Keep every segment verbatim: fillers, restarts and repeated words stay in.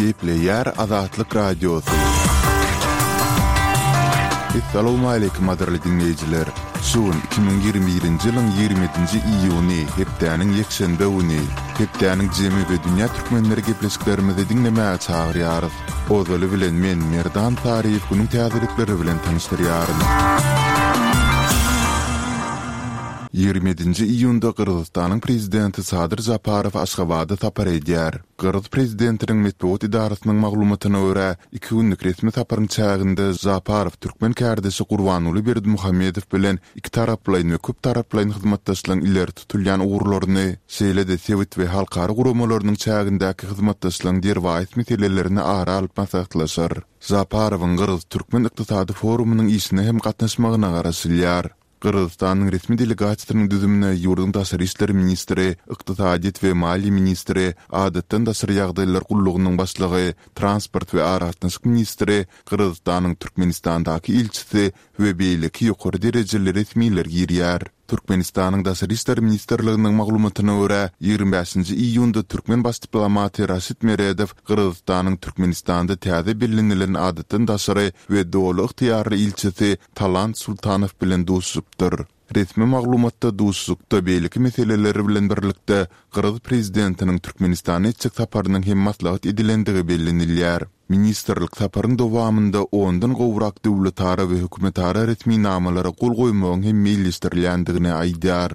Gepleýär Azatlyk Radiosy. Essalawmaleýkim gadyrly diňleýjiler! Şu gün iki müň ýigrimi birinji ýylyň ýigrimi ýedinji iýuny, hepdäniň ýekşenbe güni. Hepdäniň jemi we dünýä türkmenleri gepleşiklerimizi diňlemäge çagyrýarys. Ozaly bilen men, Merdan Saryýew günüň täzelikleri bilen tanyşdyrýaryn. Ýigrimi ýedinji iýunda Gyrgyzystanyň Prezidenti Sadyr Žaparow Aşgabada sapar edýär. Gyrgyz prezidentiniň metbugat edarasynyň maglumatyna görä, iki günlük resmi saparyň çäginde Žaparow türkmen kärdeşi Gurbanguly Berdimuhamedow bilen ikitaraplaýyn we köptaraplaýyn hyzmatdaşlygyň ileri tutulýan ugurlaryny, şeýle-de sebit we halkara guramalarynyň çägindäki hyzmatdaşlygyň derwaýys meselelerini ara alyp maslahatlaşar. Žaparowyň Gyrgyz-türkmen ykdysady forumynyň işine hem gatnaşmagyna garaşylýar. Gyrgyzystanyň resmi delegasiýasynyň düzümine ýurduň daşary işler ministri, ykdysadyýet we maliýe ministri, Adatdan daşary ýagdaýlar gullugynyň başlygy, transport we aragatnaşyk ministri, Gyrgyzystanyň Türkmenistandaky ilçisi we beýleki ýokary derejeli resmiler girýär. Türkmenistanyň Daşary işler ministrliginiň maglumatyna görä, ýigrimi bäşinji iýunda türkmen baş diplomaty Raşid Meredow Gyrgyzystanyň Türkmenistanda täze bellenilen adatdan daşary we doly ygtyýarly ilçisi Talant Sultanow bilen duşuşypdyr. Resmi maglumatda duşuşykda beýleki meseleler bilen birlikde, gyrgyz prezidentiniň Türkmenistana etjek saparynyň hem maslahat edilendigi bellenilýär. Ministrlik saparyň dowamynda ondan gowrak döwletara we hökümetara resminamalara gol goýmagyň hem meýilleşdirilýändigini aýdýar.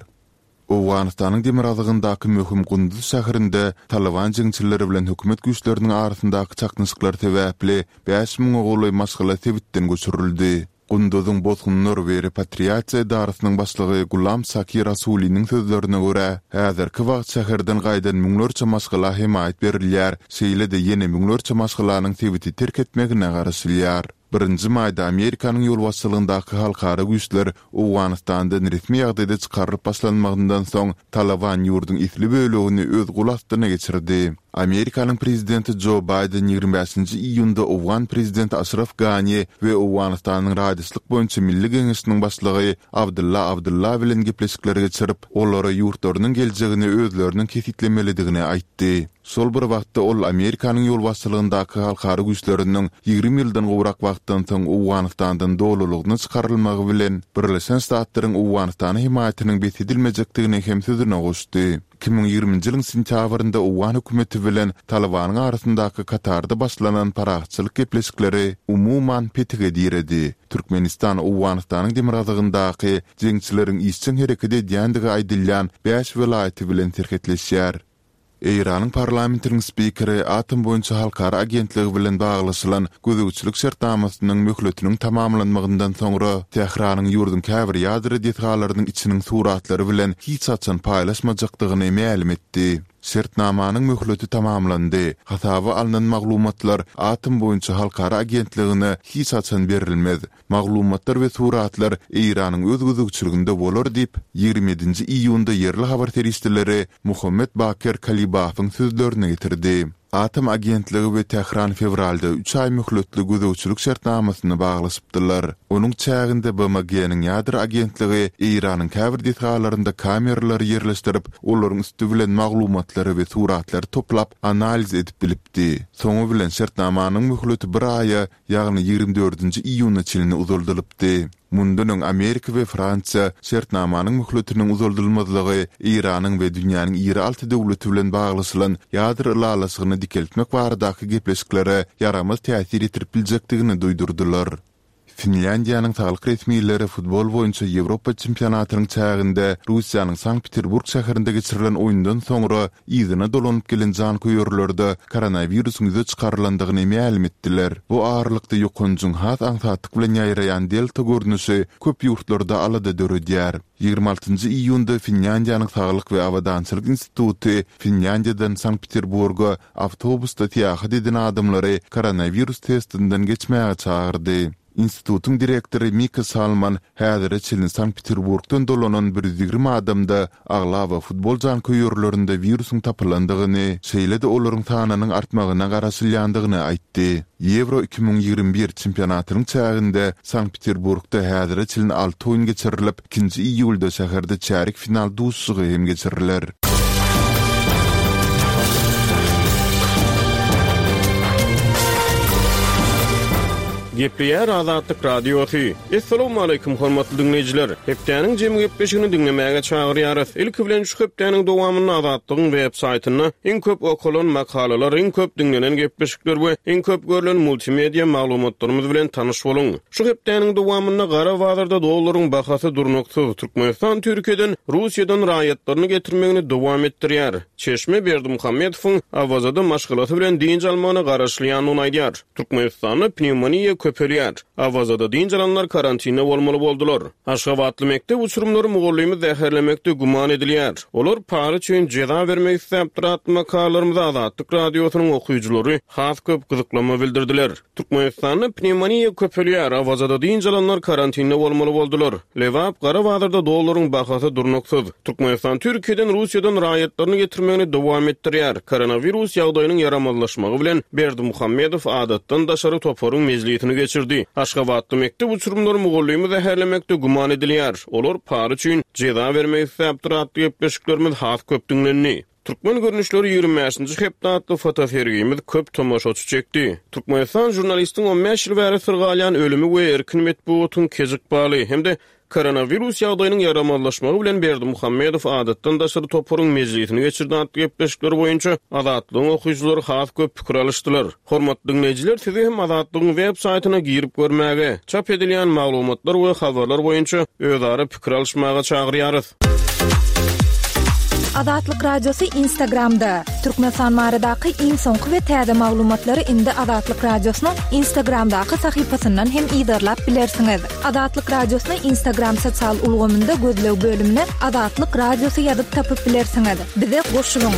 Owganystanyň demirgazygyndaky möhüm Gunduz şäherinde Talyban jeňçileri bilen hökümet güýçleriniň arasyndaky çaknyşyklar sebäpli bäş müňe golaý maşgala sebitden göçürildi. Gunduzyň bosgunlar we repatriasiýa edarasynyň başlygy Gulam Saki Rasuliniň sözlerine görä, häzirki wagt şäherden gaýdan müňlerçe maşgala hemaýat berilýär, şeýle-de ýene müňlerçe maşgalanyň sebiti terk etmegine garaşylýar. Birinji maýda Amerikanyň ýolbaşçylygyndaky halkara güýçler Owganystandan resmi ýagdaýda çykarylyp başlanmagyndan soň, Talyban ýurduň esli bölegini öz gol astyna geçirdi. Amerikanyň prezidenti Jo Baýden ýigrimi bäşinji iýunda owgan prezidenti Aşraf Gani we Owganystanyň Raýdaşlyk boýunça Milli geňeşiniň başlygy Abdylla Abdylla bilen gepleşikler geçirip, olara ýurtlarynyň geljegini özleriniň kesgitlemelidigini aýtdy. Şol bir wagtda ol Amerikanyň ýolbaşçylygyndaky halkara güýçleriniň ýigrimi ýyldan gowrak wagtdan soň Owganystandan dolulygyna çykarylmagy bilen Birleşen Ştatlaryň Owganystana hemaýatynyň bes edilmejekdigini hem sözüne goşdy. Iki müň ýigriminji ýylyň sentýabrynda owgan hökümeti bilen Talybanyň arasyndaky Katarda başlanan parahatçylyk gepleşikleri umuman petige diredi. Türkmenistan Owganystanyň demirgazygyndaky jeňçileriň işjeň hereket edýändigi aýdylýan bäş welaýaty bilen serhetleşýär. Eýranyň parlamentiniň spikeri Atom boýunça halkara agentligi bilen baglaşylan gözegçilik şertnamasynyň möhletiniň tamamlanmagyndan soňra Tähranyň ýurduň käbir ýadro desgalarynyň içiniň suratlary bilen hiç haçan paýlaşmajakdygyny mälim etdi. Şertnamanyň möhleti tamamlandy. Hasaba alnan maglumatlar Atom boýunça halkara agentligine hiç haçan berilmez. Maglumatlar we suratlar Eýranyň öz gözegçiliginde bolar diýip, ýigrimi ýedinji iýunda ýerli habar serişdeleri Muhammet Baker Kalibafyň sözlerini getirdi. Atom agentligi we Tähran fewralda üç aý möhletli gözegçilik şertnamasyny baglaşypdylar. Onuň çäginde B M G-niň ýadro agentligi Eýranyň käbir desgalarynda kameralary ýerleşdirip, olaryň üsti bilen maglumatlary we suratlary toplap, analiz edip bilipdi. Soňy bilen şertnamanyň möhleti bir aýa, ýagny ýigrimi dördünji iýuna çenli uzaldylypdy. Mundan öň Amerika we Fransiýa şertnamanyň möhletiniň uzaldylmazlygy Eýranyň we dünýäniň iri alty döwleti bilen baglaşylan ýadro ylalaşygyny dikeltmek baradaky gepleşiklere ýaramaz täsir ýetirip biljekdigini duýdurdylar. Finlýandiýanyň saglyk resmileri futbol boýunça Ýewropa çempionatynyň çäginde Russiýanyň Sankt-Peterburg şäherinde geçirilen oýundan soňra yzyna dolanyp gelen janköýerlerde koronawirusyň ýüze çykarylandygyny mälim etdiler. Bu aralykda ýokanjyň has aňsatlyk bilen ýaýraýan delta görnüşi köp ýurtlarda alada döredýär. Ýigrimi altynjy iýunda Finlýandiýanyň Saglyk we abadançylyk instituty Finlýandiýadan Sankt-Peterburga awtobusda syýahat eden adamlary koronawirus testinden geçmäge çagyrdy. Institutyň direktory Mika Salman häzire çenli Sankt-Peterburgdan dolanan bir ýüz ýigrimi adamda aglaba futbol janköýerlerinde wirusyň tapylandygyny, şeýle-de olaryň sanynyň artmagyna garaşylýandygyny aýtdy. Ýewro iki müň ýigrimi bir çempionatynyň çäginde Sankt-Peterburgda häzire çenli alty oýun geçirilip, ikinji iýulda şäherde çärýek final duşuşygy hem geçiriler. Gepleýär Azatlyk Radiosy. Essalamu aleýkum hormatly diňleýjiler. Hepdäniň jemi gepleşigini diňlemäge çagyrýarys. Ilki bilen şu hepdäniň dowamynda Azatlygyň web saýtynda iň köp okalan makalalar, iň köp diňlenen gepleşikler we iň köp görlen multimedia maglumatlarymyz bilen tanyş boluň. Şu hepdäniň dowamynda gara bazarda dollaryň bahasy durnuksyz. Türkmenistan Türkiýeden Russiýadan raýatlaryny getirmegini dowam etdirýär. Çeşme Berdimuhamedowyň Awazada maşgalasy bilen dynç almagyna garaşylýandygyny aýdýar. Türkmenistanda pnewmoniýa köpelýär. Awazada dynç alanlar karantinde bolmaly boldular. Aşgabatly mekdep uçurymlary mugallymy zäherlemekde güman edilýär. Olar para üçin jeza bermek isläpdir atly makalalarymyza Azatlyk Radiosynyň okyjylary has köp gyzyklama bildirdiler. Türkmenistanda pnewmoniýa köpelýär. Awazada dynç alanlar karantinde bolmaly boldular. Lebap gara bazarda dollaryň bahasy durnuksyz. Türkmenistan Türkiýeden Russiýadan raýatlaryny getirmegini dowam etdirýär. Koronawirus ýagdaýynyň ýaramazlaşmagy bilen Berdimuhamedow adatdan daşary toparyň mejlisini geçirdi. Aşgabatly mekdep uçurymlary mugallymy zäherlemekde güman edilýär. Olar para üçin jeza bermek isläpdir atly gepleşiklerimiz has köp diňlendi. Türkmen görnüşleri ýigrimi bäşinji hepde atly fotosergimiz köp tomaşaçy çekdi. Türkmenistan žurnalistiň on bäş ýyl bäri syrgalýan ölümi we erkin metbugatyň kejik baly hem-de koronawirus ýagdaýynyň ýaramazlaşmagy bilen Berdimuhamedow adatdan daşary toparyň mejlisini geçirdi atly gepleşikler boýunça Azatlygyň okyjylary has köp pikir alyşdylar. Hormatly diňleýjiler, sizi hem Azatlygyň web saýtyna girip görmäge, çap edilýän maglumatlar we habarlar boýunça özara pikir alyşmaga çagyrýarys. Azatlyk Radiosy Instagramda. Türkmenistan baradaky iň soňky we täze maglumatlary indi Azatlyk Radiosynyň Instagramdaky sahypasyndan hem yzarlap bilersiňiz. Azatlyk Radiosyny Instagram sosial ulgamynda gözleg bölümine Azatlyk Radiosy ýazyp tapyp bilersiňiz. Bize goşulyň.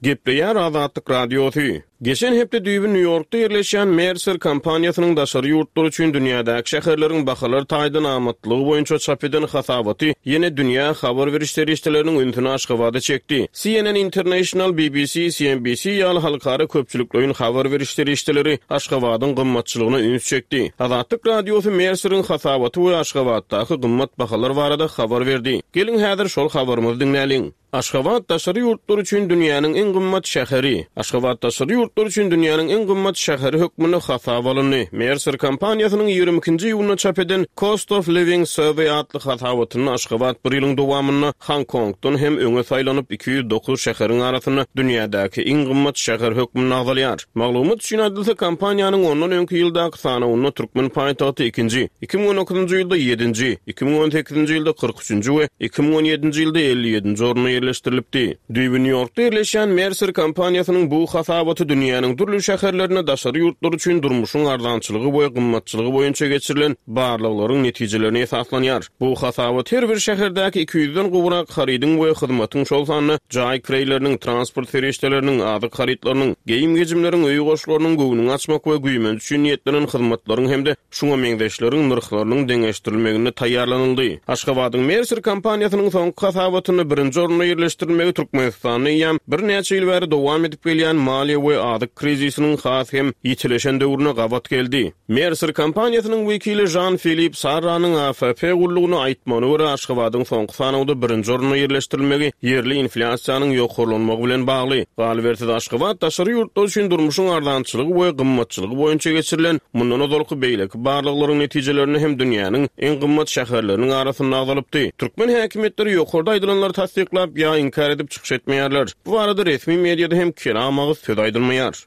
Gepleýär Azatlyk Radiosy. Geçen hepde düýbi Nýu-Ýorkda ýerleşýän Mercer kompaniýasynyň daşary ýurtlar üçin dünýädäki şäherleriň bahalar taýdan amatlygy boýunça çap eden hasabaty ýene dünýä habar beriş serişdeleriniň ünsüni Aşgabada çekdi. C N N International, B B C, C N B C ýaly halkara köpçülikleýin habar beriş serişdeleri Aşgabadyň gymmatçylygyna üns çekdi. Azatlyk Radiosy Merceriň hasabaty we Aşgabatdaky gymmat bahalar barada habar berdi. Geliň häzir şol habarymyzy diňläliň. Aşgabat daşary ýurtlar üçin dünýäniň iň gymmat şäheri. Aşgabat daşary ýurtlar üçin dünýäniň iň gymmat şäheri hökmünde hasap alyndy. Mercer kompaniýasynyň ýigrimi ikinji iýunda çap eden Cost of Living Survey atly hasabatynda Aşgabat bir ýylyň dowamynda Hong Kongdan hem öňe saýlanyp iki ýüz dokuz şäheriň arasynda dünýädäki iň gymmat şäher hökmünde agzalýar. Maglumat üçin aýdylsa, kompaniýanyň ondan öňki ýyldaky sanawynda Türkmen paýtagty ikinji, iki müň on dokuzynjy ýylda ýedinji, iki müň on sekizinji ýylda kyrk üçünji we iki müň on ýedinji ýylda elli ýedinji orunda ýerleşdirilipdi. Düýbi Nýu-Ýorkda ýerleşýän Mercer kompaniýasynyň bu hasabaty dünýäniň dürli şäherlerinde daşary ýurtlar üçin durmuşyň arzançylygy we gymmatçylygy boýunça geçirilen barlaglaryň netijelerine esaslanýar. Bu hasabat her bir şäherdäki iki ýüzden gowrak harydyň we hyzmatyň şol sanda jaý kireýleriniň, transport serişdeleriniň, azyk harytlarynyň, geýim-gejimleriň, öý goşlarynyň göwnüni açmak we güýmenç üçin niýetlenen hyzmatlaryň hem-de şuňa meňzeşleriň nyrhlarynyň deňeşdirilmeginde taýýarlanyldy. Aşgabadyň Mercer kompaniýasynyň soňky hasabatynda birinji orunda ýerleşdirilmegi Türkmenistanda eýýäm birnäçe ýyl bäri dowam edip gelýän maliýe we azyk krizisiniň has hem ýitileşen döwrüne gabat geldi. Mercer kompaniýasynyň wekili Jean-Philippe Sarranyň A F P gullugyna aýtmagyna görä Aşgabadyň soňky sanawda birinji orunda ýerleşdirilmegi ýerli inflýasiýanyň ýokarlanmagy bilen bagly. Galybersiz Aşgabat daşary ýurtlar üçin durmuşyň arzançylygy we gymmatçylygy boýunça geçirilen mundan ozalky beýleki barlaglaryň netijelerinde hem dünýäniň iň gymmat şäherleriniň arasynda agzalypdy. Türkmen häkimiýetleri ýokarda aýdylanlary tassyklap ýa inkär edip çykyş etmeýärler. Bu barada resmi mediada hem kelam agyz söz aýdylmaýar.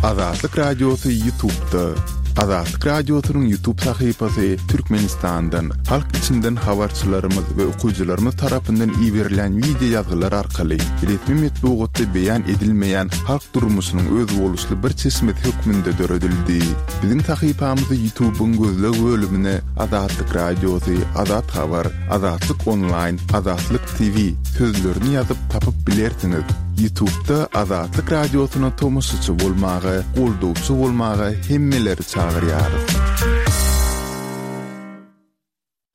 Azatlyk Radiosy YouTube'da. Azatlyk Radiosynyň YouTube sahypasy Türkmenistandan, halk içinden habarçylarymyz we okyjylarymyz tarapyndan iberilen video ýazgylar arkaly resmi metbugatda beýan edilmeýän halk durmuşynyň özboluşly bir çeşmesi hökmünde döredildi. Biziň sahypamyzy YouTube'yň gözleg bölümine Azatlyk Radiosy, Azat Habar, Azatlyk Online, Azatlyk T V sözlerini ýazyp tapyp bilersiňiz. YouTube'da Azatlyk Radiosyna tomaşaçy bolmaga, goldawçy bolmaga hemmeleri çagyrýarys.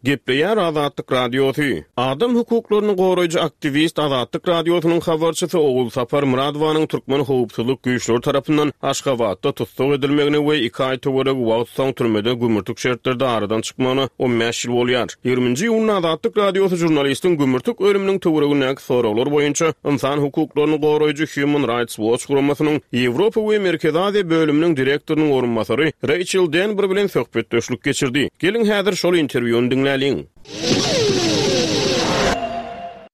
Gepleýär Azatlyk Radiosy. Adam hukuklaryny goraýjy aktiwist Azatlyk Radiosynyň habarçysy Ogulsapar Myradowanyň türkmen howpsuzlyk güýçleri tarapyndan Aşgabatda tussag edilmegine we iki aý töweregi wagt soň türmede gümürtik şertlerde aradan çykmagyna on bäş ýyl bolýar. Ýigriminji iýunda Azatlyk Radiosy žurnalistiň gümürtik ölüminiň töweregindäki soraglar boýunça ynsan hukuklaryny goraýjy Human Rights Watch guramasynyň Ýewropa we Merkezi Aziýa bölüminiň direktorynyň orunbasary Reýçel Denber bilen söhbetdeşlik geçirdi. Geliň häzir şol interwýuny diňläliň.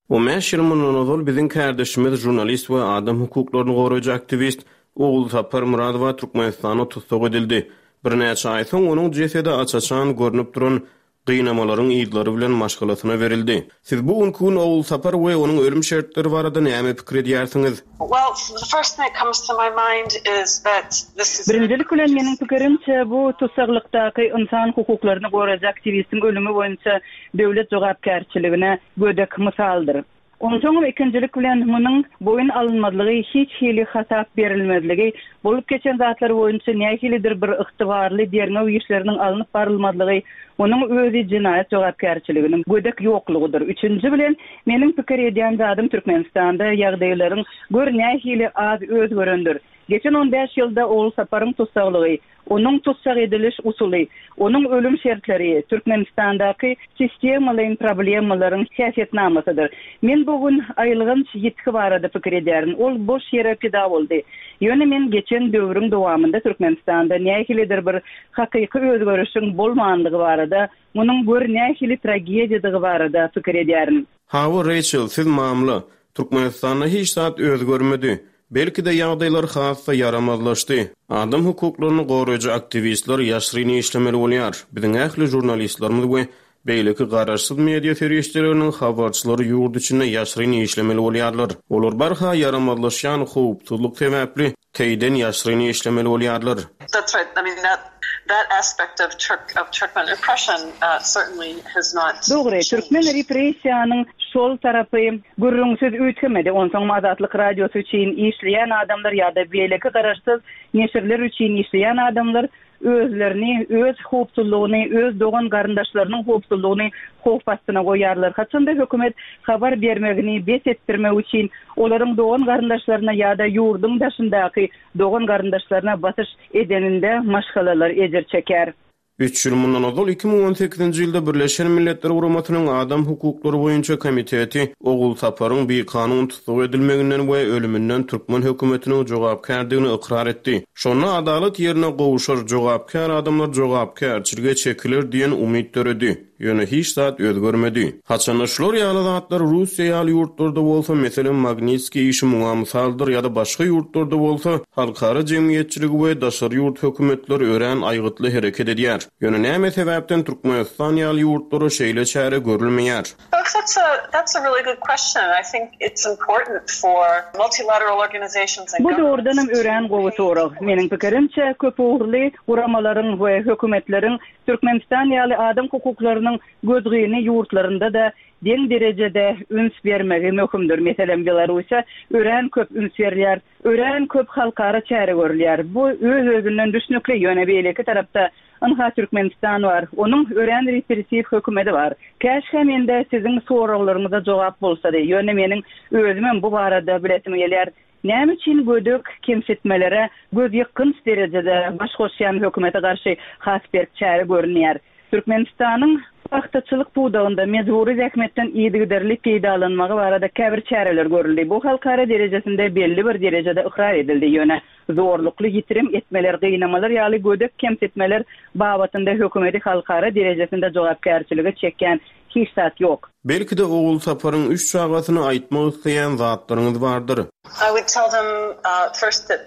On bäş ýyl mundan ozal biziň kärdeşimiz žurnalist we adam hukuklaryny goraýjy aktiwist Ogulsapar Myradowa Türkmenistanda tussag edildi. Birnäçe aý soň onuň jesedi aç-açan görnüp duran gynamalaryň yzlary bilen maşgalasyna berildi. Siz bu günki gün Ogulsapar we onuň ölüm şertleri barada näme pikir edýärsiňiz? Well, the first thing that comes to my mind is that this is Birinjilik bilen meniň pikirimçe bu tussaglykdaky ynsan hukuklaryny goraýjy aktiwistiň ölümi boýunça döwlet jogapkärçiligine gödek mysaldyr. Onsoňam ikinjilik bilen munuň boýun alynmazlygy, hiç hili hasap berilmezligi, bolup geçen zatlar boýunça nähilidir bir ygtybarly derňew işleriniň alnyp barylmazlygy, munuň özi jenaýat jogapkärçiliginiň gödek ýoklugydyr. Üçünji bilen meniň pikir edýän zadym Türkmenistanda ýagdaýlaryň gör nähili az özgerendir. Geçen on bäş ýylda Ogulsaparyň tussaglygy, onuň tussag ediliş usuly, onuň ölüm şertleri Türkmenistandaky sistemalaýyn problemalaryň häsiýetnamasydyr. Men bu gün aýylganç ýitgi barada pikir edýärin. Ol boş ýere pida boldy. Ýöne men geçen döwrüň dowamynda Türkmenistanda nähilidir bir hakyky özgerişiň bolmandygy barada, munuň gör nähili tragediýadygy barada pikir edýärin. Hawa, Reýçel, siz mamla. Türkmenistanda hiç zat özgermedi. Belki-de ýagdaýlar has-da ýaramazlaşdy. Adam hukuklaryny goraýjy aktiwistler ýaşryn işlemeli bolýar. Biziň ähli žurnalistlerimiz we beýleki garaşsyz media serişdeleriniň habarçylary ýurt içinde ýaşryn işlemeli bolýarlar. Olar barha ýaramazlaşýan howpsuzlyk sebäpli teýden ýaşryn işlemeli bolýarlar. That's right. I mean, that, that aspect of Turk, of Turkmen repression, uh, certainly has not Dogry, türkmen repressiýanyň şol tarapy gürrüňsiz üýtgemedi. Onsoň Azatlyk Radiosy üçin işleýän adamlar ýa-da beýleki garaşsyz neşirler üçin işleýän adamlar özlerini, öz howpsuzlygyny, öz dogan garyndaşlarynyň howpsuzlygyny howp astyna goýarlar. Haçanda hökümet habar bermegini bes etdirmek üçin olaryň dogan garyndaşlaryna ýa-da ýurduň daşyndaky dogan garyndaşlaryna basyş edeninde maşgalalar ejir çeker. Üç ýyl mundan ozal iki müň on sekizinji ýylda Birleşen Milletler Guramasynyň Adam hukuklary boýunça komiteti Ogulsaparyň bikanun tussag edilmeginden we ölüminden türkmen hökümetiniň jogapkärdigini ykrar etdi. Şonda adalat ýerine gowşar, jogapkär adamlar jogapkärçilige çekiler diýen umyt döredi. Ýöne hiç zat özgermedi. Haçanda şular ýaly zatlar Russiýa ýaly ýurtlarda bolsa, meselem Magnitskiý işi muňa mysaldyr ýa-da başga ýurtlarda bolsa, halkara jemgyýetçiligi we daşary ýurt hökümetleri örän aýgytly hereket edýär. Ýöne näme sebäpden Türkmenistan ýaly ýurtlara şeýle çäre görülmeýär? That's a, that's a really good question. I think it's important for multilateral organizations and Bu dogrudanam örän gowy sorag. Meniň pikirimçe, köp ugurly guramalaryň we hökümetleriň Türkmenistan ýaly adam hukuklarynyň gözgyny ýurtlarynda-da deň derejede üns bermegi möhümdir. Meselem, Belarusýa örän köp üns berilýär, örän köp halkara çäre görülýär. Bu öz-özünden düşnükli, ýöne beýleki tarapda ynha Türkmenistan bar. Onuň örän repressiw hökümeti bar. Käşgä mende siziň soraglaryňyza jogap bolsady, ýöne meniň özümem bu barada bilesim gelýär. Näme üçin gödek kemsitmelere göz ýykgynç derejede baş goşýan hökümete garşy has berk çäre görünýär? Türkmenistanyň pagtaçylyk pudagynda mejbury zähmetden yzygiderli peýdalanmagy barada käbir çäreler görüldi. Bu halkara derejesinde belli bir derejede ykrar edildi. Ýöne zorlukly ýitirim etmeler, gynamalar ýaly gödek kemsitmeler babatynda hökümeti halkara derejesinde jogapkärçiligi çekýän hiç zat ýok. Belki-de Ogulsaparyň üç çagasyny aýtmak isleýän zatlaryňyz bardyr. I would tell them, uh, first that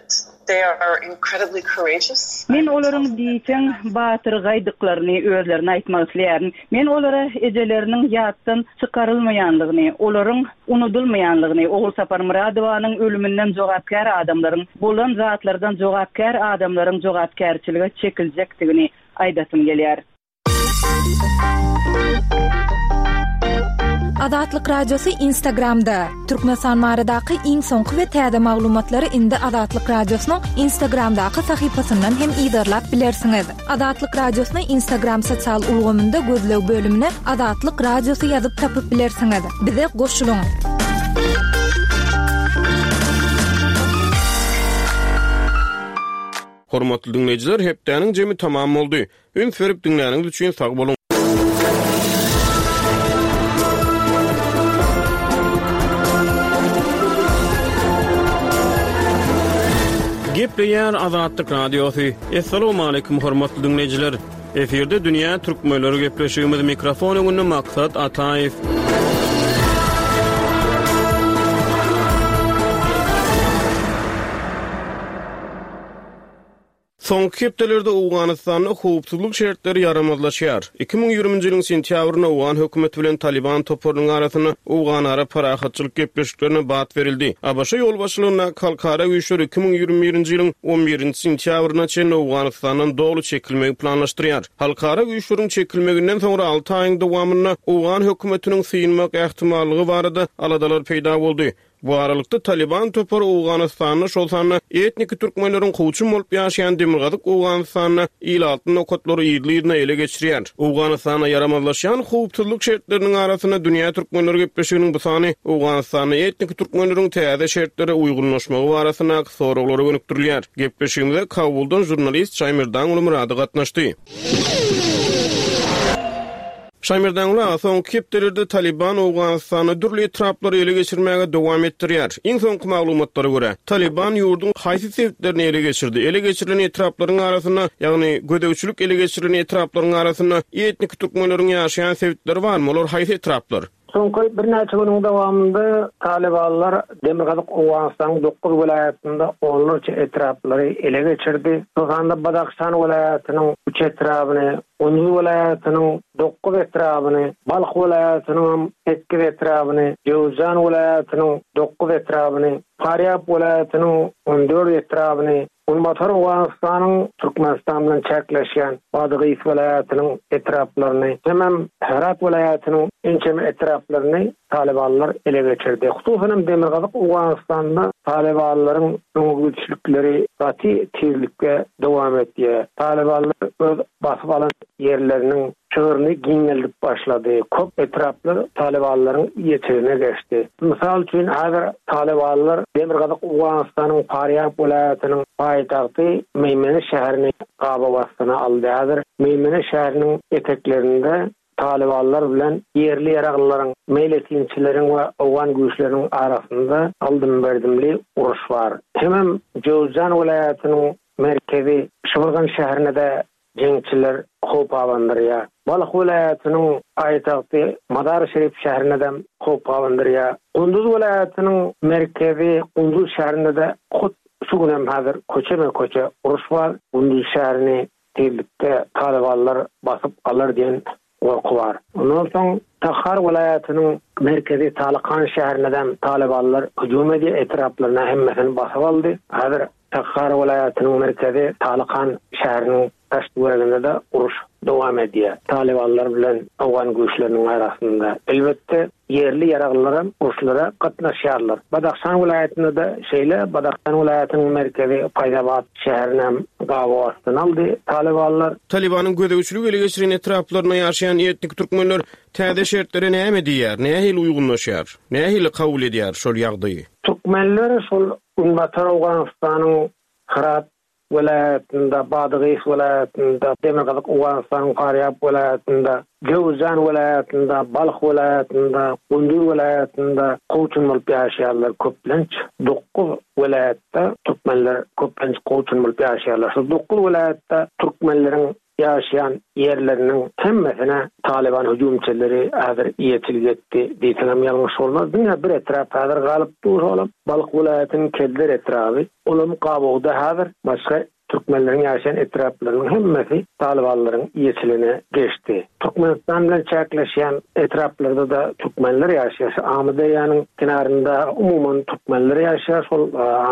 they are incredibly courageous. Men olaryň diýseň batyrgaýdyklaryny özlerine aýtmak isleýärin. Men olara ejeleriniň ýatdan çykarylmaýanlygyny, olaryň unudylmaýanlygyny, Ogulsapar Myradowanyň ölüminden jogapkär adamlaryň, bolan zatlardan jogapkär adamlaryň jogapkärçilige çekiljekdigini aýdasym gelýär. Azatlyk Radiosy Instagramda. Türkmenistan baradaky iň soňky we täze maglumatlary indi Azatlyk Radiosynyň Instagramdaky sahypasyndan hem yzarlap bilersiňiz. Azatlyk Radiosyny Instagram sosial ulgamynda gözleg bölümine Azatlyk Radiosy ýazyp tapyp bilersiňiz. Bize goşulyň. Hormatly diňleýjiler, hepdäniň jemi tamam boldy. Üns berip diňläniňiz üçin sag boluň. Gepleýär Azatlyk Radiosy. Essalamu aleýkum hormatly diňleýjiler. Efirde Dünýä Türkmenleri gepleşigimiz mikrofon öňünde Maksat Ataýew. Soňky hepdelerde Owganystanda howpsuzlyk şertleri ýaramazlaşýar. iki müň ýigriminji ýylyň sentýabrynda Owgan hökümeti bilen Taliban toparynyň arasynda Owganara parahatçylyk gepleşiklerine bat berildi. ABŞ ýolbaşçylygyndaky halkara güýçleri iki müň ýigrimi birinji ýylyň on birinji sentýabryna çenli Owganystandan doly çekilmegi planlaşdyrýar. Halkara güýçleriň çekilmeginden soňra alty aýyň dowamynda Owgan hökümetiniň synmak ähtimallygy barada aladalar peýda boldy. Bu aralykda Taliban topary Owganystanda, şol sanda etniki türkmenleriň kowçum bolup ýaşaýan Demirgazyk Owganystanda ilatly nokatlary ýyly-ýylyna ele geçirýär. Owganystanda ýaramazlaşýan howpsuzlyk şertleriniň arasynda Dünýä Türkmenleri gepleşiginiň bu sany Owganystanda etniki türkmenleriň täze şertlere uýgunlaşmagy barasyndaky soraglara gönükdirilýär. Gepleşigimize Kabuldan žurnalist Şaýmerdan Murady gatnaşdy. Şaýmerdan aga, soňky hepdelerde Taliban Owganystanda dürli etraplary ele geçirmäge dowam etdirýär. Iň soňky maglumatlara görä, Taliban ýurduň haýsy sebitlerini ele geçirdi? Ele geçirilen etraplaryň arasynda, ýagny gözegçilik ele geçirilen etraplaryň arasynda etnik türkmenleriň ýaşaýan sebitleri barmy? Olar haýsy etraplar? Soňky birnäçe günüň dowamynda Talibanlar Demirgazyk Owganystanyň dokuz welaýatynda onlarça etraplary ele geçirdi. Şol sanda Badahşan welaýatynyň üç etrabyny, Gunduz welaýatynyň dokuz etrabyny, Balh welaýatynyň sekiz etrabyny, Jöwzjan welaýatynyň dokuz etrabyny, Farýab welaýatynyň on dört etrabyny, Günbatar Owganystanyň Türkmenistan bilen çäkleşýän Badagys welaýatynyň etraplaryny, hemem Herat welaýatynyň ençeme etraplaryny Talibanlar ele geçirdi. Hususan Demirgazyk Owganystanda Talibanlaryň öňe gaty tizlikde dowam etýär. Talibanlar öz basyp alan ýerleriniň çygryny giňeldip başlady. Köp etraplar Talibanlaryň ýetirine geçdi. Mysal üçin häzir Talibanlar Demirgazyk Owganystanyň Farýab welaýatynyň paýtagty Meýmene şäherini gabaw astyna aldy. Häzir Meýmene şäheriniň eteklerinde Talibanlar bilen ýerli ýaraglylaryň, meýletinçileriň we Owgan güýçleriniň arasynda aldym-berdimli uruş bar. Hemem Jöwzjan welaýatynyň merkezi Şybyrgan şäherine de jeňçiler howp abandyrýar. Balh welaýatynyň paýtagty Mazar-Şerif şäherine de howp abandyrýar. Gunduz welaýatynyň merkezi Gunduz şäherinde de hut şu günem häzir köçe-köçe uruş bar. Gunduz şäherini tezlikde Talibanlar basyp alar diýen gorky bar. Ondan soň Takhar welaýatynyň merkezi Talikan şäherinden Talibanlar hüjüm edip etraplaryna hemmesini basyp aldy. Häzir Takhar welaýatynyň merkezi Talikan şäheriniň daş töwereginde de uruş dowam edýär. Talibanlar bilen Owgan güýçleriniň arasynda elbetde ýerli ýaraglylar uruşlara gatnaşýarlar. Badahşan welaýatynda da şeýle Badahşan welaýatynyň merkezi Paýzabat şäherine gabaw astyna aldy Talibanlar. Talibanyň gözegçilik ele geçiren etraplaryna ýaşaýan etnik türkmenler täze şertlere näme diýýär? Nähili uýgunlaşýar? Nähili kabul edýär şol ýagdaýy? Türkmenler şol Günbatar Owganystanyň Herat welaýatynda, Badagys welaýatynda, Demirgazyk Owganystanyň Farýab welaýatynda, Jöwzjan welaýatynda, Balh welaýatynda, Gunduz welaýatynda kowçum bolup ýaşaýarlar köplenç. Dokuz welaýatda türkmenler köplenç kowçum bolup ýaşaýarlar. Şu dokuz welaýatda türkmenleriň ýaşaýan ýerleriniň hemmesine Taliban hüjümçileri häzir ýetilip etdi diýsem ýalňyş bolmaz. Diňe bir etrap häzir galyp dur olam. Balh welaýatynyň Kelder etraby, olam gabawda häzir başga Türkmenleriň ýaşaýan etraplarynyň hemmesi Talybanlaryň eýeçiligine geçdi. Türkmenistan bilen çäkleşýän etraplarda-da türkmenler ýaşaýar. Şu Amyderýanyň kenarynda umuman türkmenler ýaşaýar. Şol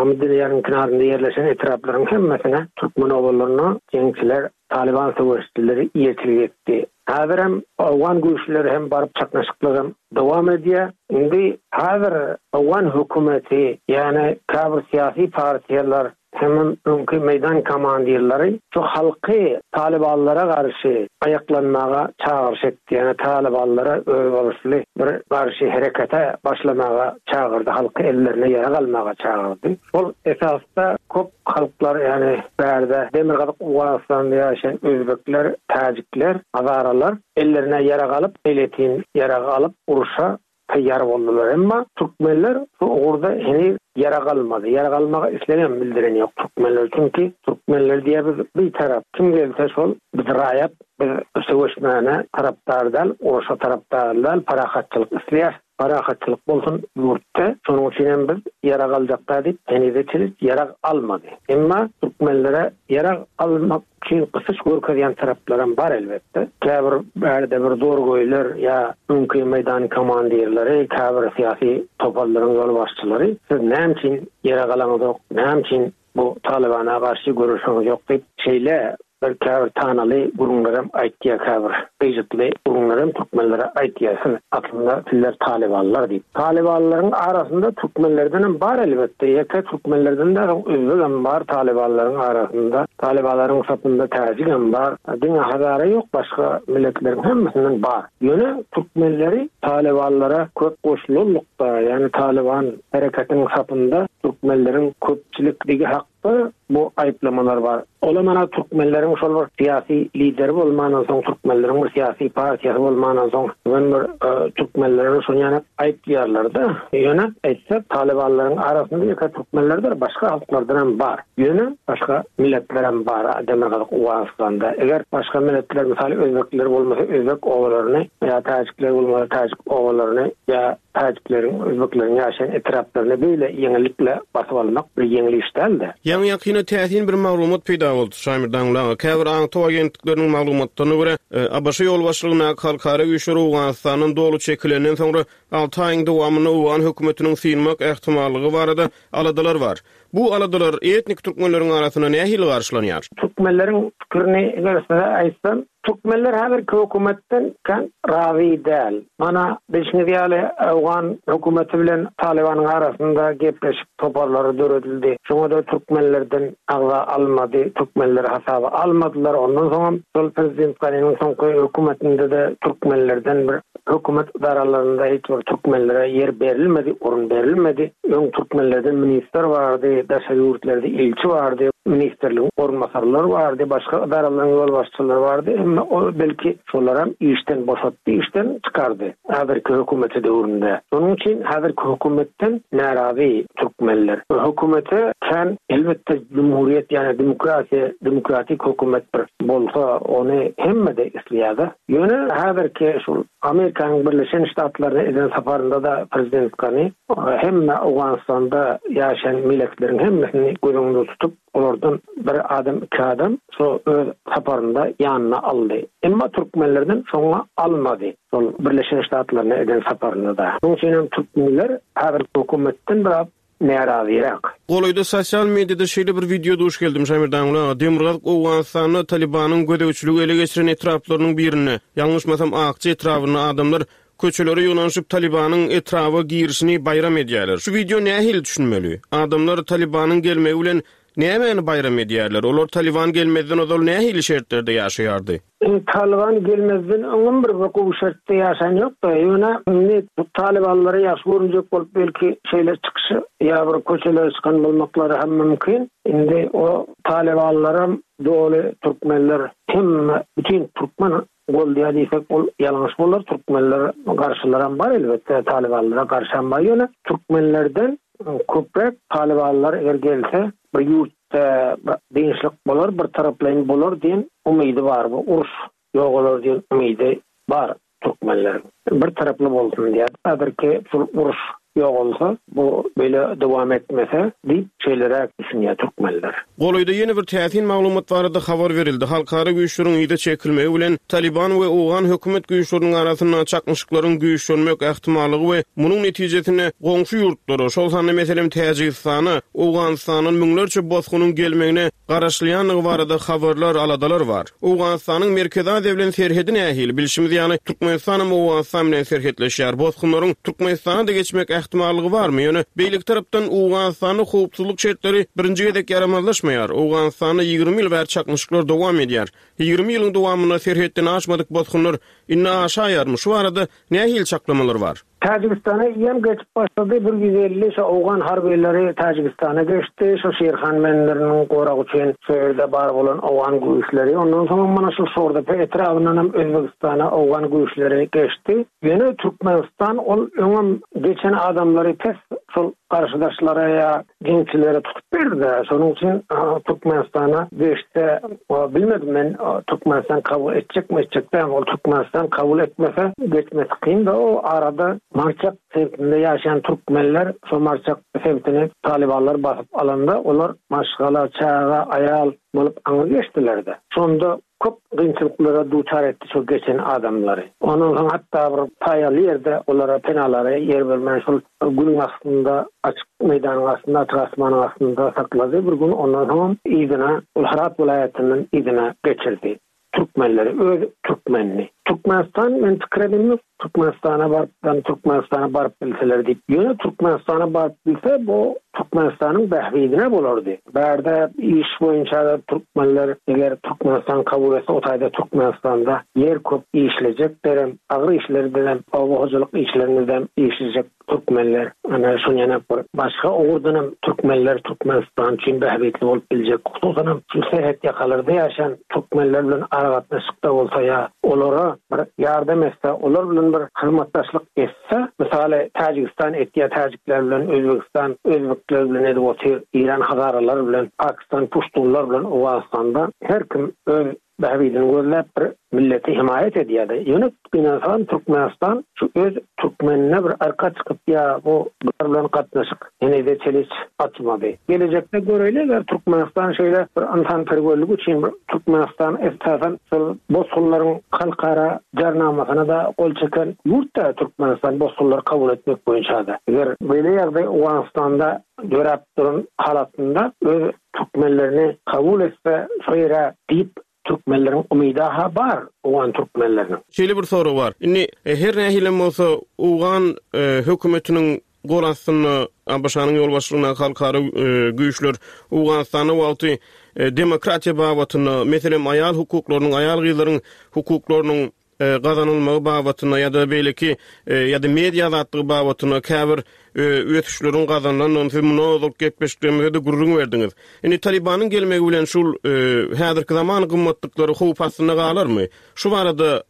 Amyderýanyň kenarynda ýerleşen etraplaryň hemmesine türkmen obalaryna jeňçiler, Talyban söweşijileri eýeçilik etdi. Häzirem owgan güýçleri hem baryp çaknyşyklar hem dowam edýär. Indi häzir owgan hökümeti, ýagny käbir syýasy partiýalar hemem öňki meýdan komandirleri şu halky talybanlara garşy aýaklanmaga çagyryş etdi. Ýagny talybanlara özboluşly bir garşy herekete başlamaga çagyrdy, halky ellerine ýarag almaga çagyrdy. Şol esasda köp halklar, ýagny bärde Demirgazyk Owganystanda ýaşaýan özbekler, täjikler, hazaralar ellerine ýarag alyp, meýletin ýarag alyp urşa taýýar boldular. Emma türkmenler bu ugurda heniz ýarag almady. Ýarag almaga islegem bildiren ýok türkmenler. Çünki türkmenler diýýär biz bir tarap, kim gelse şol biz raýat, biz söweşmäne tarapdar däl, urşa tarapdar däl, parahatçylyk isleýär. Parahatçylyk bolsun ýurtda. Şonuň üçin hem biz ýarag aljak da diýip heniz çenli ýarag almady. Emma türkmenlere ýarag almak üçin gysyş görkezýän taraplaram bar elbetde. Käbir bärde bir zorgoýlar ýa öňki meýdan komandirleri, käbir syýasy toparlaryň ýolbaşçylary siz näme üçin ýarag alaňyzok, näme üçin bu Talybana garşy göreşiňiz ýok diýip şeýle bir käbir tanaly gürrüňlerem aýtýar, käbir gyjytly gürrüňlerem türkmenlere aýtýar. Siz aslynda sizler Talybanlar diýip. Talybanlaryň arasynda türkmenlerden hem bar elbetde. Ýeke türkmenlerden de özbek hem bar Talybanlaryň arasynda. Talybanlaryň sapynda täjik hem bar. Diňe Hazara ýok, başga milletleriň hemmesinden bar. Ýöne türkmenleri Talybanlara köp goşulurlukda, ýagny Talyban hareketiniň sapynda türkmenleriň köpçülikligi hakda bu aýyplamalar bar. Ola mana türkmenleriň şol bir syýasy lideri bolmandan soň, türkmenleriň bir syýasy partiýasy bolmandan soň, bugün bir, e, türkmenleriň şony ýana aýyplaýarlar-da. Ýöne aýtsak, Talybanlaryň arasynda ýeke türkmenlerdir, başga halklardan hem bar. Ýöne başga milletler hem bar Demirgazyk Owganystanda. Eger başga milletler, mysal özbekler bolmasa özbek obalaryny ýa täjikler bolmasa täjik obalaryny ýa täjikleriň, özbekleriň ýaşaýan etraplaryny beýle ýeňillikle basyp almak bir ýeňil iş däldi. Ýaňy ýakyna täsin bir maglumat peýda boldy. Şaýmyrdan Ulaga käbir aňtaw agentlikleriniň maglumatlaryna görä, e, A B Ş ýolbaşçylygyndaky halkara güýçleri Owganystandan doly çekilenden soňra alty aýyň dowamynda Owgan hökümetiniň synmak ähtimallygy barada aladalar bar. Bu aladalar etnik türkmenleriň arasynda nähili garşylanýar? Türkmenleriň pikirini eger size aýtsam, türkmenler häzirki hökümetden kan razy däl. Mana bilşiňiz ýaly Owgan hökümeti bilen Talybanyň arasynda gepleşik toparlary döredildi. Şoňa da türkmenlerden agza almady, türkmenleri hasaba almadylar. Ondan soň şol prezident Ganiniň soňky hökümetinde de türkmenlerden bir hökümet idaralarynda hiç bir türkmenlere ýer berilmedi, orun berilmedi. Öň türkmenlerden ministr bardy, daşary ýurtlarda ilçi bardy, ministrligiň orunbasarlary bardy, başga idaralaryň ýolbaşçylary bardy. Emma o belki şolaram işden boşatdy, işden çykardy häzirki hökümeti döwründe. Şonuň üçin häzirki hökümetden närazy türkmenler. Hökümete kän elbetde cumhuriyet, ýagny demokratiýa, demokratik hökümet bir bolsa ony hemme de isleýär. Ýöne häzirki şu Amerikanyň Birleşen Ştatlaryna eden saparynda da prezident Gani hemme Owganystanda ýaşaýan milletleriň hemmesini göz öňünde tutup, olardan bir adam, iki adam şu öz saparynda ýanyna aldy. Emma türkmenlerden şoňa almady. Şol Birleşen Ştatlaryna eden saparynda da. Şonuň üçin hem türkmenler häzirki hökümetden biraz närazyrak. Golaýda sosial mediada şeýle bir video duş geldim Şaýmyrdan Ulaga. Demirgazyk Owganystanda Talibanyň gözegçiligi ele geçiren etraplarynyň birinde, ýalňyşmasam Akçy etrabynda adamlar köçelere ýygnanyşyp Talibanyň etraba girişini baýram edýärler. Şu video nähili düşünmeli? Adamlar Talibanyň gelmegi bilen nämäni baýram edýärler? Olar Taliban gelmezden ozal nähili şertlerde ýaşaýardy? Taliban gelmezden öňem bir gowy şertde ýaşan ýokdy. Ýöne indi bu Talibanlara ýaş görünjek bolup belki şeýle çykyşy ýa bir köçelere çykan bolmaklary hem mümkin. Indi o Talibanlaram doly türkmenler hem bütün türkmen goldiýa diýsek ol ýalňyş bolar. Türkmenler garşylaram bar elbetde Talibanlara garşy hem bar. Ýöne türkmenlerden köpräk Talibanlar eger gelse bir ýurtda dynçlyk bolar, bir taraplaýyn bolar diýen umydy bar. Bu uruş ýok diýen umydy bar türkmenleriň. Bir taraply bolsun diýär. Häzirki şul uruş Ýogalsa, bu beýle dowam etmese diýip şeýleräk düşünýär türkmenler. Golaýda ýene bir täsin maglumat barada habar berildi. Halkara güýçleriň yza çekilmegi bilen Taliban we owgan hökümet güýçleriniň arasynda çaknyşyklaryň güýçlenmek ähtimallygy we munuň netijesinde goňşy ýurtlara, şol sanda meselem Täjigistana, Owganystandan müňlerçe bosgunyň gelmegine garaşylýandygy barada habarlar, aladalar bar. Owganystanyň Merkezi Aziýa bilen serhedi nähili? Bilşimiz ýaly, Türkmenistanam Owganystan bilen serhetleşýär. Bosgunlaryň Türkmenistana-da geçmek ähtimallygy barmy? Ýöne, beýleki tarapdan, Owganystanda howpsuzlyk şertleri birinji gezek ýaramazlaşmaýar. Owganystanda ýigrimi ýyl bäri çaknyşyklar dowam edýär. Ýigrimi ýylyň dowamynda serhetden aşmadyk bosgunlar indi aşaýarmy? Şu barada nähili çaklamalar bar? Täjigistana eýýäm geçip başlady, bir ýüz elli şo owgan harbylary Täjigistana geçdi, şo Şirhan menleriniň goragy üçin şo ýerde bar bolan owgan güýçleri, ondan soňam mana şul Şordepe etrabyndanam Özbegistana owgan güýçleri geçdi. Ýöne Türkmenistan ol öňem geçen adamlary pes şol garşydaşlara ýa jeňçilere tutup berdi-dä. Şonuň üçin Türkmenistana geçse, bilmedim men Türkmenistan kabul etjekmi, etjek dälmi. Ol Türkmenistan kabul etmese geçmesi kyn-da o arada Marçak sebitinde ýaşaýan türkmenler şo Marçak sebitini talybanlar basyp alanda olar maşgala, çaga, aýal bolup aňry geçdiler-de. Şonda köp kynçylyklara duçar etdi şol geçen adamlary. Ondan soň hatda bir paýaly ýerde olara penalara ýer bermän şol günüň astynda açyk meýdanyň astynda açyk asmanyň astynda saklady bir gün ondan soňam yzyna ol Hyrat welaýatyndan yzyna geçirdi. Türkmenleri öz türkmenini. Türkmenistan men pikir edemok Türkmenistana baryp ýa Türkmenistana baryp bilseler diýip. Ýöne Türkmenistana baryp bilse bu Türkmenistanyň bähbidine bolardy. Bärde iş boýunça türkmenler eger Türkmenistan kabul etse o taýda Türkmenistanda ýer köp işlejeklerem agyr işlerdenem oba hojalyk işlerindenem işlejek türkmenler. Ana şony ýene bir başga ugurdanam türkmenler Türkmenistan üçin bähbitli bolup biljek. Hususanam şu serhet ýakalarda ýaşaýan türkmenler bilen aragatnaşykda bolsa ýa olara bir ýardam etse, olar bilen bir hyzmatdaşlyk etse, mysaly Täjigistan etýär täjikler bilen, Özbegistan özbekler bilen edip otyr, Eýran hazaralar bilen, Pakistan puştunlar bilen Owganystanda her kim öz bähbidini gözläp bir milleti hemaýat edýärdi. Ýöne gynansagam Türkmenistan şu öz türkmenine bir arka çykyp ýa bu bular bilen gatnaşyk henize çeliç açmady. Gelejekde göreýli eger Türkmenistan şeýle bir ynsanperwerlik üçin bir Türkmenistan esasan şol bosgunlaryň halkara jarnamasyna-da gol çeken ýurt-da Türkmenistan bosgunlary kabul etmek boýunça-da. Eger beýle ýagdaý Owganystanda döräp duran halatynda öz türkmenlerini kabul etse şo ýere diýip türkmenleriň umyda-ha bar, owgan türkmenleriniň. Şeýle bir sorag bar. Indi her nähilem bolsa owgan hökümetiniň gol astynda ABŞ-nyň ýolbaşçylygyndaky halkara güýçler Owganystanda wagty demokratiýa babatynda, meselem, aýal hukuklarynyň, aýal-gyzlaryň hukuklarynyň gazanylmagy babatynda ýa-da beýleki ýa-da media azatlygy babatynda käbir ösüşleriň gazanylandygyny siz mundan ozalky gepleşiklerimizde-de gürrüň berdiňiz. Indi Talybanyň gelmegi bilen şul häzirki zaman gymmatlyklary howp astynda galarmy? Şu barada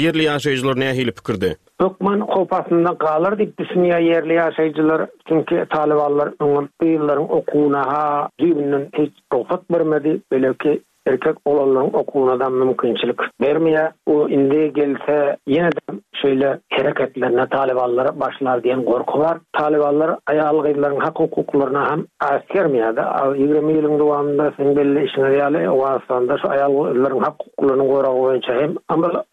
ýerli ýaşaýjylar nähili pikirde? Hökman howp astynda galar diýip düşünýär ýerli ýaşaýjylar. Çünki talybanlar öňem gyzlaryň okuwyna-ha düýbünden hiç rugsat bermedi. Beýleki Erkek oglanlaryň okuwynada mümkinçilik bermeýär. Bu indi gelse ýene-de şeýle hereketlerine talybanlar başlar diýen gorky bar. Talybanlar aýal-gyzlaryň hak-hukuklaryna hem äsgermeýär-de. Ýigrimi ýylyň dowamynda siziň belli işiňiz ýaly Owganystanda şu aýal-gyzlaryň hak-hukuklarynyň goragy boýunça hem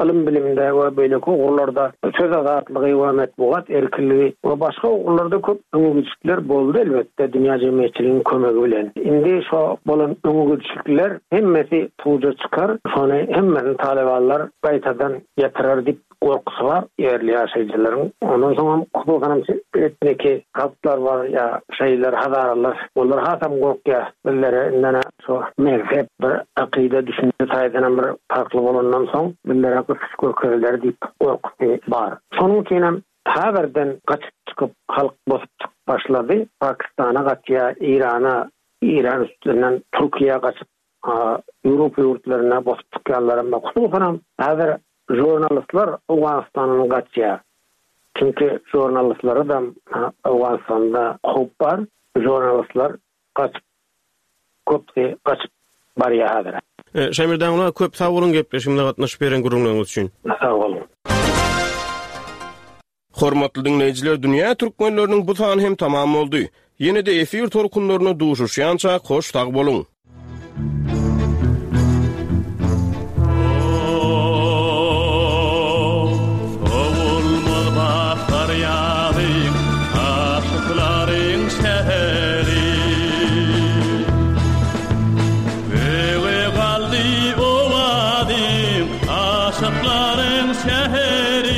ylym-bilimde we beýleki ugurlarda söz azatlygy we metbugat erkinligi we başga ugurlarda köp öňegidişlikler boldy elbetde dünýä jemgyýetçiliginiň kömegi bilen. Indi şo bolan öňegidişlikler hemmesi puja çykar, şony hemmesini talybanlar gaýtadan ýatyrar diýip gorkusy bar ýerli ýaşaýjylaryň. Ondan soňam hususanam etniki halklar bar ýa şeýler hazaralar olar hasam gorkýar bizlere indene şo mezhep bir akyda düşünje taýdanam bir parhly bolandan soň bizlere gysyş görkeziler diýip gorkusy bar. Şonuň üçinem häzirden gaçyp çykyp halk bosup çykyp başlady. Pakistana gaçýar, Eýrana, Eýran üstünden Türkiýä gaçyp Ýewropa ýurtlaryna bosup çykýanlaram bar. Hususanam häzir žurnalistler Owganystandan gaçýar. Çünki žurnalistlere-de Owganystanda howp bar. Žurnalistler gaçyp köpüsi gaçyp barýar häzir. Şaýmerdan aga köp sag boluň gepleşigimize gatnaşyp beren gürrüňleriňiz üçin. Sag boluň. Hormatly diňleýjiler, dünýä türkmenleriniň bu sany hem tamam boldy. Ýene-de efir tolkunlarynda duşuşýança hoş sag boluň. Sowulmaz bahar ýazy, aşyklaryň şäheri. Öwe galdy owazym, aşyklaryň şäheri.